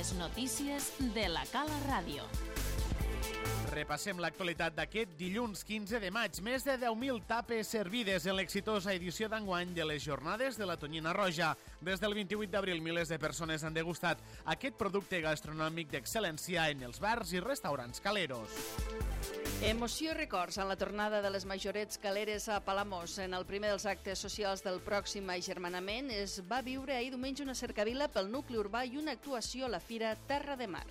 Les notícies de la Cala Ràdio. Repassem l'actualitat d'aquest dilluns 15 de maig. Més de 10.000 tapes servides en l'exitosa edició d'enguany de les Jornades de la Tonyina Roja. Des del 28 d'abril, milers de persones han degustat aquest producte gastronòmic d'excel·lència en els bars i restaurants caleros. Emoció i records en la tornada de les majorets caleres a Palamós. En el primer dels actes socials del pròxim agermanament es va viure ahir diumenge una cercavila pel nucli urbà i una actuació a la Fira Terra de Mar.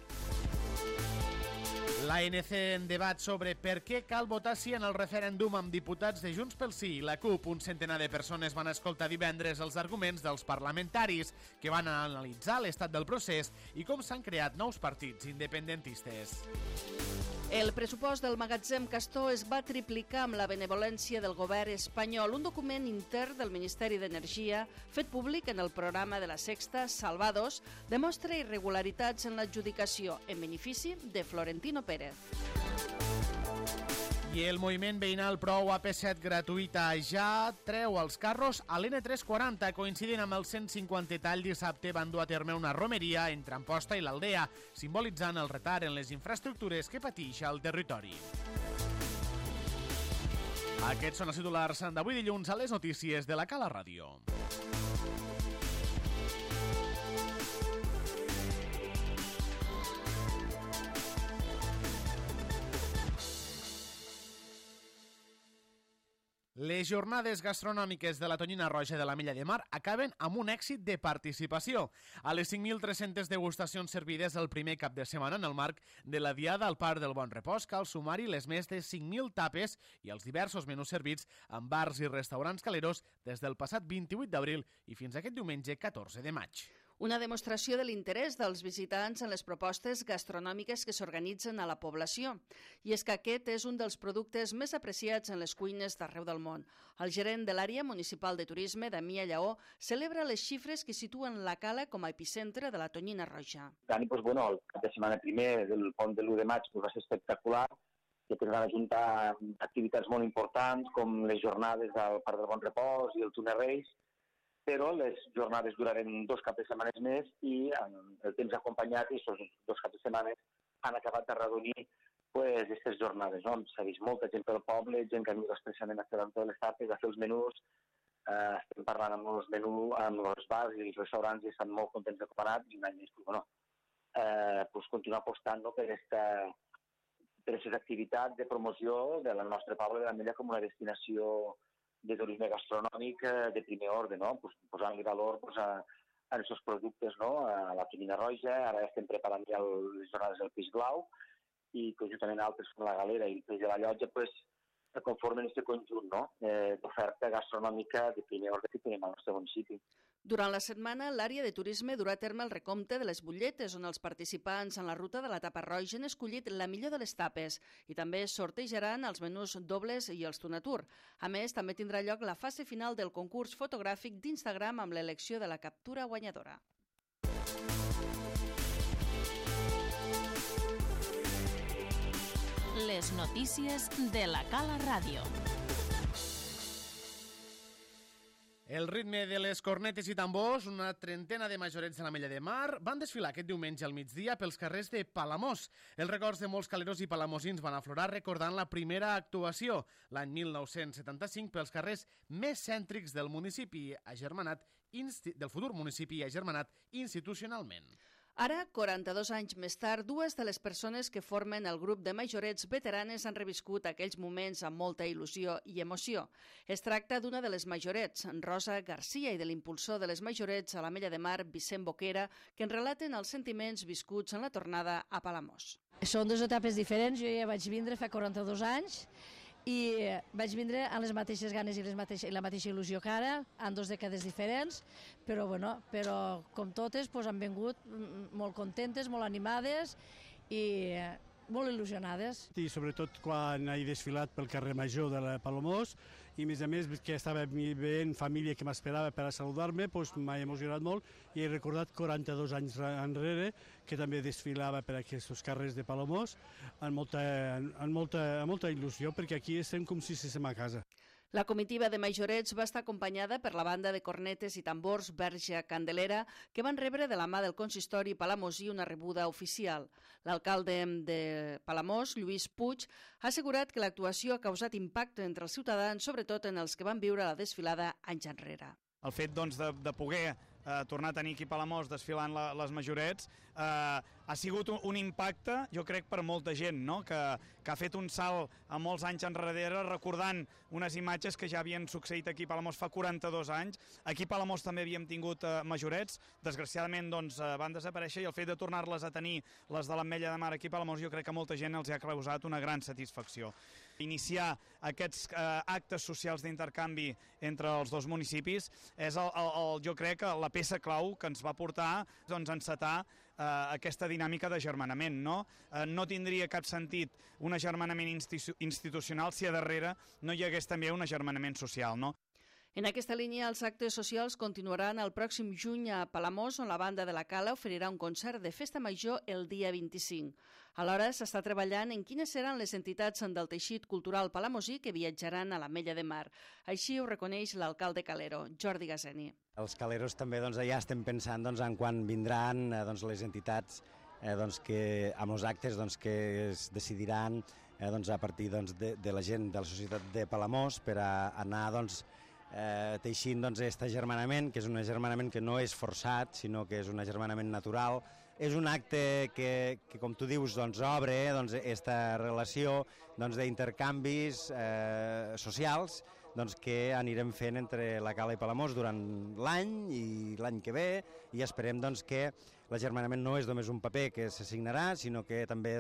L'ANC en debat sobre per què cal votar sí en el referèndum amb diputats de Junts pel Sí i la CUP. Un centenar de persones van escoltar divendres els arguments dels parlamentaris que van analitzar l'estat del procés i com s'han creat nous partits independentistes. El pressupost del magatzem Castor es va triplicar amb la benevolència del govern espanyol. Un document intern del Ministeri d'Energia, fet públic en el programa de la Sexta, Salvados, demostra irregularitats en l'adjudicació en benefici de Florentino Pérez. I el moviment veïnal Prou AP7 gratuïta ja treu els carros a l'N340. Coincidint amb el 150 tall, dissabte van dur a terme una romeria entre Amposta i l'Aldea, simbolitzant el retard en les infraestructures que pateix el territori. Aquests són els titulars d'avui dilluns a les notícies de la Cala Ràdio. Les jornades gastronòmiques de la Tonyina Roja de la Mella de Mar acaben amb un èxit de participació. A les 5.300 degustacions servides el primer cap de setmana en el marc de la Diada al Parc del Bon Repòs cal sumar-hi les més de 5.000 tapes i els diversos menús servits en bars i restaurants caleros des del passat 28 d'abril i fins aquest diumenge 14 de maig. Una demostració de l'interès dels visitants en les propostes gastronòmiques que s'organitzen a la població. I és que aquest és un dels productes més apreciats en les cuines d'arreu del món. El gerent de l'àrea municipal de turisme, Damià Lleó, celebra les xifres que situen la Cala com a epicentre de la Tonyina Roja. El cap de setmana primer del pont de l'1 de maig va ser espectacular, que van ajuntar activitats molt importants com les jornades al Parc del Bon Repòs i el Túnel Reis, però les jornades duraren 2 caps de setmana més i el temps acompanyat i aquests 2 caps de setmana han acabat d'arredonir aquestes jornades. S'ha vist molta gent pel poble, gent que ha vingut expressament a fer totes les tapes, a fer els menús. Estem parlant amb els bars i els restaurants i estan molt contents de com ha anat i un any més continuar apostant per aquestes activitats de promoció del nostre poble de la Mella com una destinació de turisme gastronòmic de primer ordre, posant-li valor a aquests productes, a la Tonyina Roja. Ara estem preparant ja les jornades del Peix Blau i conjuntament altres com la Galera i el Peix de la Llotja conformen aquest conjunt d'oferta gastronòmica de primer ordre que tenim al nostre municipi. Durant la setmana, l'àrea de turisme durà a terme el recompte de les butlletes, on els participants en la ruta de la tapa roja han escollit la millor de les tapes i també sortejaran els menús dobles i els Tunatur. A més, també tindrà lloc la fase final del concurs fotogràfic d'Instagram amb l'elecció de la captura guanyadora. Les notícies de la Cala Ràdio. El ritme de les cornetes i tambors, una trentena de majorets de la Mella de Mar, van desfilar aquest diumenge al migdia pels carrers de Palamós. Els records de molts caleros i palamosins van aflorar recordant la primera actuació, l'any 1975, pels carrers més cèntrics del municipi del futur municipi agermanat institucionalment. Ara, 42 anys més tard, 2 de les persones que formen el grup de majorets veteranes han reviscut aquells moments amb molta il·lusió i emoció. Es tracta d'una de les majorets, Rosa Garcia, i de l'impulsor de les majorets a la Mella de Mar, Vicent Boquera, que en relaten els sentiments viscuts en la tornada a Palamós. Són 2 etapes diferents. Jo ja vaig vindre fa 42 anys i vaig vindre amb les mateixes ganes i la mateixa il·lusió que ara, en 2 dècades diferents, però com totes han vingut molt contentes, molt animades i molt il·lusionades. I sobretot quan he desfilat pel carrer Major de la Palamós i a més que estava veient família que m'esperava per a saludar-me, m'ha emocionat molt i he recordat 42 anys enrere que també desfilava per aquests carrers de Palamós amb molta il·lusió, perquè aquí estem com si estiguéssim a casa. La comitiva de Majorets va estar acompanyada per la banda de cornetes i tambors Verge Candelera, que van rebre de la mà del consistori palamosí una rebuda oficial. L'alcalde de Palamós, Lluís Puig, ha assegurat que l'actuació ha causat impacte entre els ciutadans, sobretot en els que van viure la desfilada anys enrere. El fet de poder tornar a tenir aquí a Palamós desfilant les Majorets ha sigut un impacte, jo crec, per molta gent, no? que ha fet un salt a molts anys enrere recordant unes imatges que ja havien succeït aquí a Palamós fa 42 anys. Aquí a Palamós també havíem tingut Majorets, desgraciadament van desaparèixer, i el fet de tornar-les a tenir, les de l'Ametlla de Mar aquí a Palamós, jo crec que a molta gent els ha causat una gran satisfacció. Iniciar aquests actes socials d'intercanvi entre els dos municipis és, jo crec, la peça clau que ens va portar a encetar aquesta dinàmica d'agermanament. No tindria cap sentit un agermanament institucional si a darrere no hi hagués també un agermanament social, no? En aquesta línia, els actes socials continuaran el pròxim juny a Palamós, on la banda de la Cala oferirà un concert de festa major el dia 25. Alhora, s'està treballant en quines seran les entitats del teixit cultural palamosí que viatjaran a l'Ametlla de Mar. Així ho reconeix l'alcalde calero, Jordi Gaseni. Els caleros també ja estem pensant en quan vindran les entitats que amb els actes que es decidiran a partir de la gent de la societat de Palamós per anar teixint aquest agermanament, que és un agermanament que no és forçat, sinó que és un agermanament natural. És un acte que com tu dius, obre aquesta relació d'intercanvis socials que anirem fent entre la Cala i Palamós durant l'any i l'any que ve, i esperem que l'agermanament no és només un paper que s'assignarà, sinó que també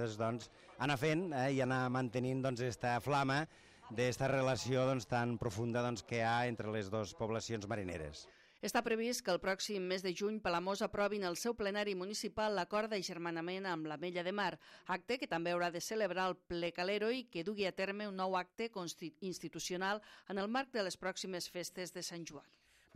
anar fent i anar mantenint aquesta flama d'esta relació tan profunda que hi ha entre les dues poblacions marineres. Està previst que el pròxim mes de juny Palamós aprovi en el seu plenari municipal l'acord d'agermanament amb l'Ametlla de Mar, acte que també haurà de celebrar el ple calero i que dugui a terme un nou acte institucional en el marc de les pròximes festes de Sant Joan.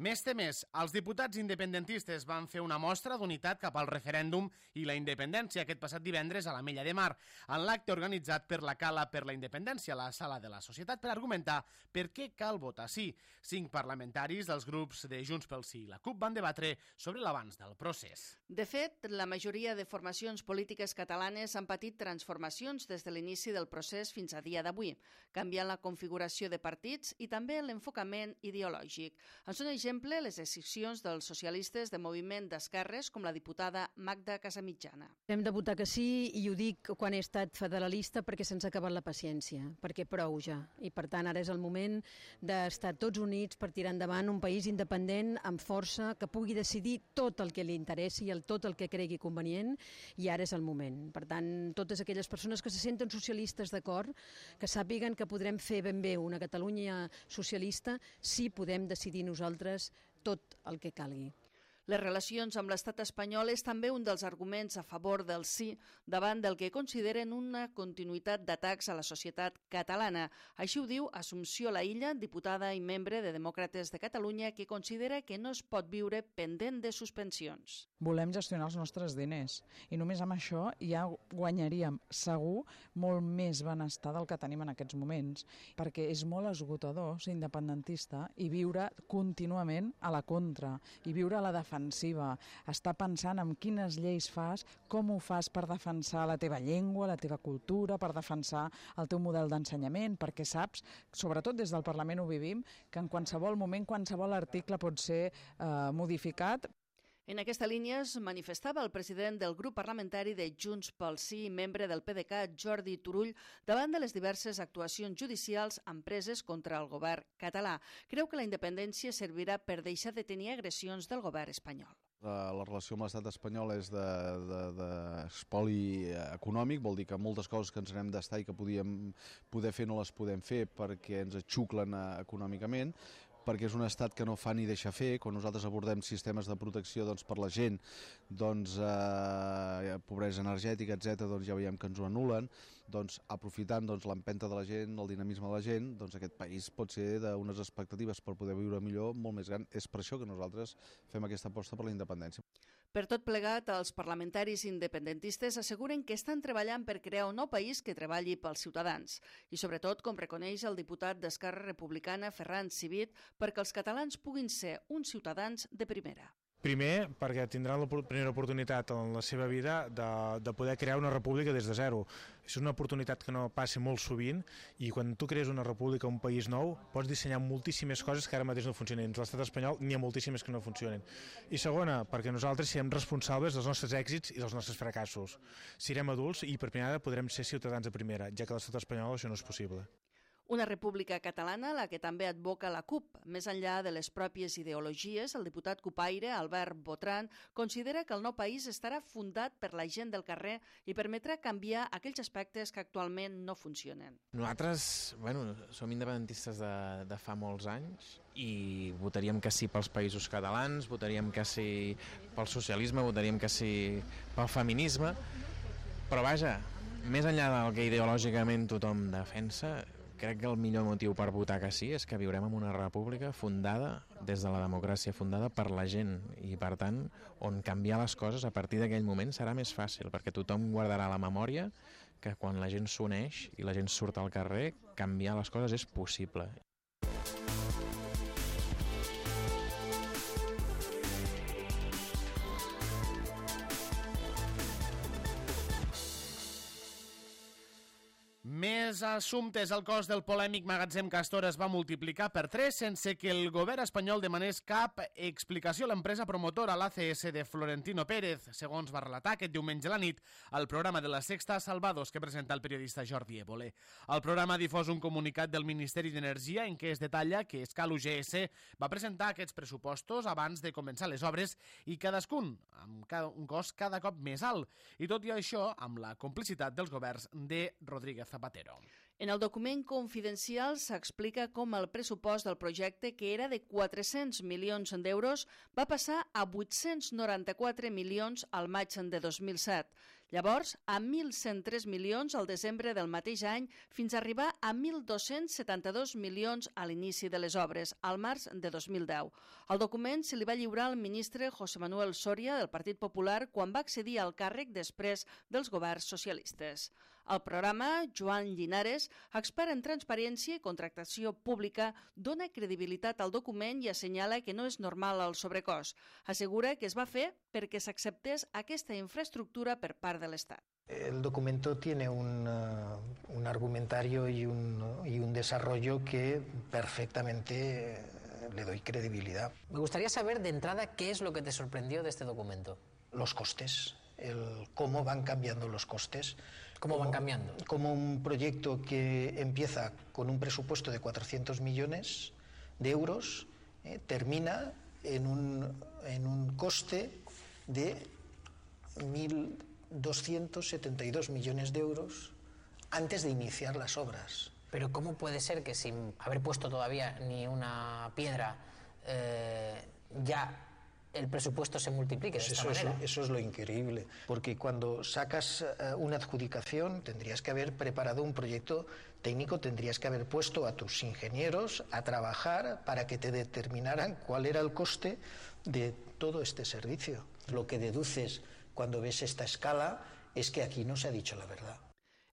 Més temés, els diputats independentistes van fer una mostra d'unitat cap al referèndum i la independència aquest passat divendres a l'Ametlla de Mar, en l'acte organitzat per la Cala per la Independència a la Sala de la Societat per argumentar per què cal votar sí. 5 parlamentaris dels grups de Junts pel Sí i la CUP van debatre sobre l'avanç del procés. De fet, la majoria de formacions polítiques catalanes han patit transformacions des de l'inici del procés fins a dia d'avui, canviant la configuració de partits i també l'enfocament ideològic. En són exemple, les decisions dels socialistes de moviment d'esquerres, com la diputada Magda Casamitjana. Hem de votar que sí, i ho dic quan he estat federalista, perquè se'ns ha acabat la paciència, perquè prou ja. I per tant, ara és el moment d'estar tots units per tirar endavant un país independent, amb força, que pugui decidir tot el que li interessi i tot el que cregui convenient, i ara és el moment. Per tant, totes aquelles persones que se senten socialistes d'acord, que sàpiguen que podrem fer ben bé una Catalunya socialista si podem decidir nosaltres tot el que calgui. Les relacions amb l'estat espanyol és també un dels arguments a favor del sí davant del que consideren una continuïtat d'atacs a la societat catalana. Així ho diu Assumpció Laïlla, diputada i membre de Demòcrates de Catalunya, que considera que no es pot viure pendent de suspensions. Volem gestionar els nostres diners i només amb això ja guanyaríem segur molt més benestar del que tenim en aquests moments, perquè és molt esgotador ser independentista i viure contínuament a la contra i viure a la defensiva, estar pensant en quines lleis fas, com ho fas per defensar la teva llengua, la teva cultura, per defensar el teu model d'ensenyament, perquè saps, sobretot des del Parlament ho vivim, que en qualsevol moment, qualsevol article pot ser modificat. En aquesta línia es manifestava el president del grup parlamentari de Junts pel Sí i membre del PDeCAT, Jordi Turull, davant de les diverses actuacions judicials empreses contra el govern català. Creu que la independència servirà per deixar de tenir agressions del govern espanyol. La relació amb l'estat espanyol és d'espoli econòmic, vol dir que moltes coses que ens n'hem d'estar i que podíem poder fer no les podem fer perquè ens xuclen econòmicament, perquè és un estat que no fa ni deixa fer. Quan nosaltres abordem sistemes de protecció per la gent, pobresa energètica, etc., ja veiem que ens ho anulen. doncs, aprofitant doncs, l'empenta de la gent, el dinamisme de la gent, doncs aquest país pot ser d'unes expectatives per poder viure millor molt més gran. És per això que nosaltres fem aquesta aposta per la independència. Per tot plegat, els parlamentaris independentistes asseguren que estan treballant per crear un nou país que treballi pels ciutadans. I sobretot, com reconeix el diputat d'Esquerra Republicana, Ferran Civit, perquè els catalans puguin ser uns ciutadans de primera. Primer, perquè tindran la primera oportunitat en la seva vida de poder crear una república des de zero. És una oportunitat que no passa molt sovint i quan tu crees una república, un país nou, pots dissenyar moltíssimes coses que ara mateix no funcionen. A l'estat espanyol n'hi ha moltíssimes que no funcionen. I segona, perquè nosaltres serem responsables dels nostres èxits i dels nostres fracassos. Serem adults i per primera vegada podrem ser ciutadans de primera, ja que a l'estat espanyol això no és possible. Una república catalana, la que també advoca la CUP. Més enllà de les pròpies ideologies, el diputat cupaire, Albert Botran, considera que el nou país estarà fundat per la gent del carrer i permetrà canviar aquells aspectes que actualment no funcionen. Nosaltres, som independentistes de fa molts anys i votaríem que sí pels països catalans, votaríem que sí pel socialisme, votaríem que sí pel feminisme, però vaja, més enllà del que ideològicament tothom defensa, crec que el millor motiu per votar que sí és que viurem en una república fundada des de la democràcia, fundada per la gent i, per tant, on canviar les coses a partir d'aquell moment serà més fàcil, perquè tothom guardarà la memòria que quan la gent s'uneix i la gent surt al carrer, canviar les coses és possible. Més assumptes. El cost del polèmic magatzem Castor es va multiplicar per 3 sense que el govern espanyol demanés cap explicació a l'empresa promotora, l'ACS de Florentino Pérez, segons va relatar aquest diumenge a la nit al programa de La Sexta Salvados que presenta el periodista Jordi Évole. El programa ha difós un comunicat del Ministeri d'Energia en què es detalla que Escal UGS va presentar aquests pressupostos abans de començar les obres i cadascun amb un cost cada cop més alt. I tot i això, amb la complicitat dels governs de Rodríguez Zapatero. En el document confidencial s'explica com el pressupost del projecte, que era de 400 milions d'euros, va passar a 894 milions al maig de 2007. Llavors, a 1.103 milions al desembre del mateix any, fins a arribar a 1.272 milions a l'inici de les obres, al març de 2010. El document se li va lliurar al ministre José Manuel Soria, del Partit Popular, quan va accedir al càrrec després dels governs socialistes. El programa, Joan Llinares, expert en transparència i contractació pública, dona credibilitat al document i assenyala que no és normal el sobrecost. Assegura que es va fer perquè s'acceptés aquesta infraestructura per part de l'Estat. El documento tiene un argumentario y un desarrollo que perfectamente le doy credibilidad. Me gustaría saber de entrada qué es lo que te sorprendió de este documento. Los costes, cómo van cambiando los costes. ¿Cómo van cambiando? Como un proyecto que empieza con un presupuesto de 400 millones de euros, termina en un coste de 1.272 millones de euros antes de iniciar las obras. Pero ¿cómo puede ser que sin haber puesto todavía ni una piedra ya el presupuesto se multiplique de esta manera? Eso es lo increíble, porque cuando sacas una adjudicación tendrías que haber preparado un proyecto técnico, tendrías que haber puesto a tus ingenieros a trabajar para que te determinaran cuál era el coste de todo este servicio. Lo que deduces cuando ves esta escala es que aquí no se ha dicho la verdad.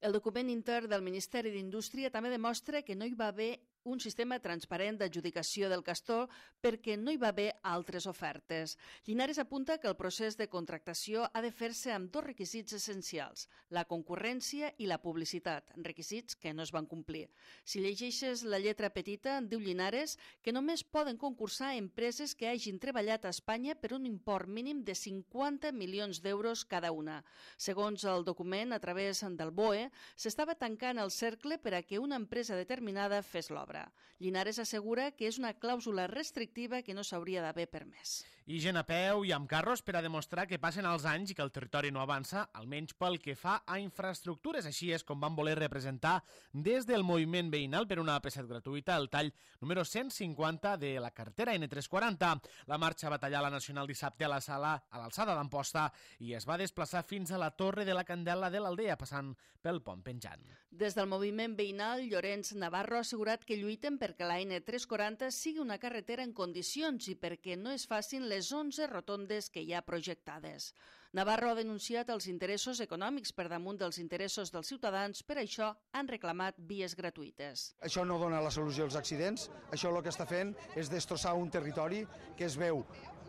El document intern del Ministeri d'Indústria també demostra que no hi va haver un sistema transparent d'adjudicació del Castor perquè no hi va haver altres ofertes. Llinares apunta que el procés de contractació ha de fer-se amb dos requisits essencials, la concurrència i la publicitat, requisits que no es van complir. Si llegeixes la lletra petita, diu Llinares que només poden concursar empreses que hagin treballat a Espanya per un import mínim de 50 milions d'euros cada una. Segons el document, a través del BOE, s'estava tancant el cercle per a que una empresa determinada fes l'obra. l'obra. Linares assegura que és una clàusula restrictiva que no s'hauria d'haver permès. I gent a peu i amb carros per a demostrar que passen els anys i que el territori no avança, almenys pel que fa a infraestructures. Així és com van voler representar des del moviment veïnal per una AP7 gratuïta el tall número 150 de la carretera N340. La marxa va tallar la Nacional dissabte a l'alçada d'Amposta i es va desplaçar fins a la Torre de la Candela de l'Aldea, passant pel pont penjant. Des del moviment veïnal, Llorenç Navarro ha assegurat que lluiten perquè la N340 sigui una carretera en condicions i perquè no es facin les 11 rotondes que hi ha projectades. Navarro ha denunciat els interessos econòmics per damunt dels interessos dels ciutadans, per això han reclamat vies gratuïtes. Això no dona la solució als accidents, això el que està fent és destrossar un territori que es veu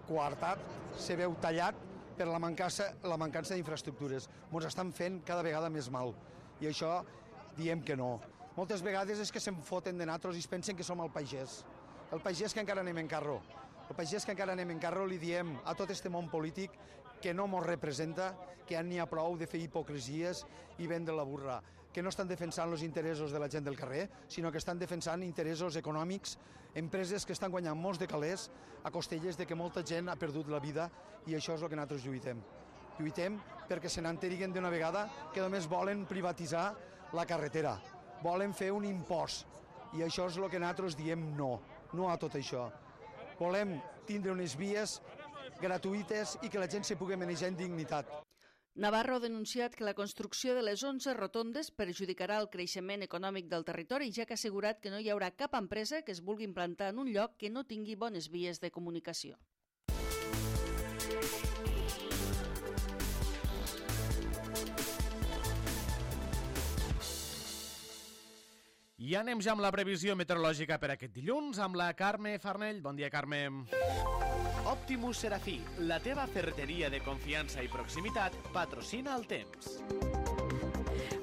coartat, se veu tallat per la mancança d'infraestructures. Ens estan fent cada vegada més mal i això diem que no. Moltes vegades és que se'n foten de nosaltres i es pensen que som el pagès que encara anem en carro. El pagès que encara anem en carro li diem a tot este món polític que no ens representa, que ja n'hi ha prou de fer hipocresies i vendre la burra, que no estan defensant els interessos de la gent del carrer, sinó que estan defensant interessos econòmics, empreses que estan guanyant molts de calés a costelles de que molta gent ha perdut la vida i això és el que nosaltres lluitem. Lluitem perquè se n'enteriguen d'una vegada que només volen privatitzar la carretera, volen fer un impost i això és el que nosaltres diem no a tot això. Volem tindre unes vies gratuïtes i que la gent se pugui manejar en dignitat. Navarro ha denunciat que la construcció de les 11 rotondes perjudicarà el creixement econòmic del territori, ja que ha assegurat que no hi haurà cap empresa que es vulgui implantar en un lloc que no tingui bones vies de comunicació. I anem ja amb la previsió meteorològica per aquest dilluns amb la Carme Farnell. Bon dia, Carme. Optimus Serafí, la teva ferreteria de confiança i proximitat, patrocina el temps.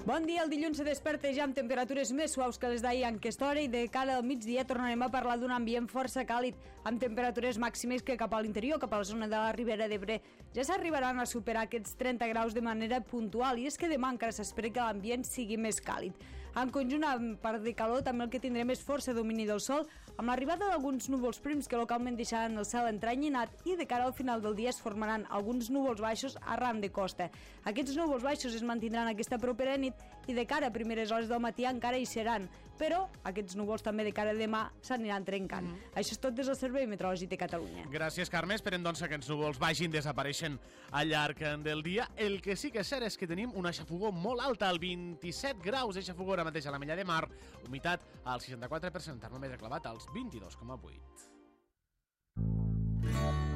Bon dia, el dilluns se desperta ja amb temperatures més suaus que les d'ahir en aquesta hora i de cara al migdia tornarem a parlar d'un ambient força càlid, amb temperatures màximes que cap a l'interior, cap a la zona de la Ribera d'Ebre, ja s'arribaran a superar aquests 30 graus de manera puntual i és que demà encara s'espera que l'ambient sigui més càlid. En conjunt, a part de calor, també el que tindrem és força domini del sol, amb l'arribada d'alguns núvols prims que localment deixaran el cel entrenyinat i de cara al final del dia es formaran alguns núvols baixos arran de costa. Aquests núvols baixos es mantindran aquesta propera nit i de cara a primeres hores del matí encara hi seran, però aquests núvols també de cara a demà s'aniran trencant. Això és tot des del Servei Meteorològic de Catalunya. Gràcies, Carme. Esperem doncs que aquests núvols vagin desapareixent al llarg del dia. El que sí que és cert és que tenim una xafogor molt alta, el 27 graus de xafogor ara mateix a la Mella de Mar, humitat al 64%, termòmetre clavat als 22,8.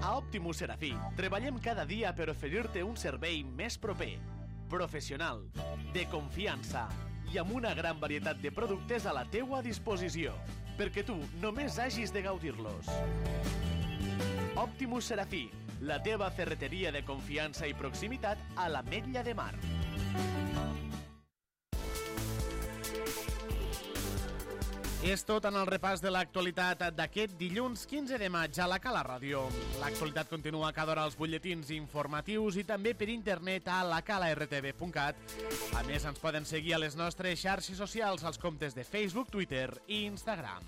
A Optimus Serafí treballem cada dia per oferir-te un servei més proper, professional, de confiança i amb una gran varietat de productes a la teua disposició, perquè tu només hagis de gaudir-los. Optimus Serafí, la teva ferreteria de confiança i proximitat a l'Ametlla de Mar. És tot en el repàs de l'actualitat d'aquest dilluns 15 de maig a la Cala Ràdio. L'actualitat continua cada hora als butlletins informatius i també per internet a lacalartv.cat. A més, ens poden seguir a les nostres xarxes socials, als comptes de Facebook, Twitter i Instagram.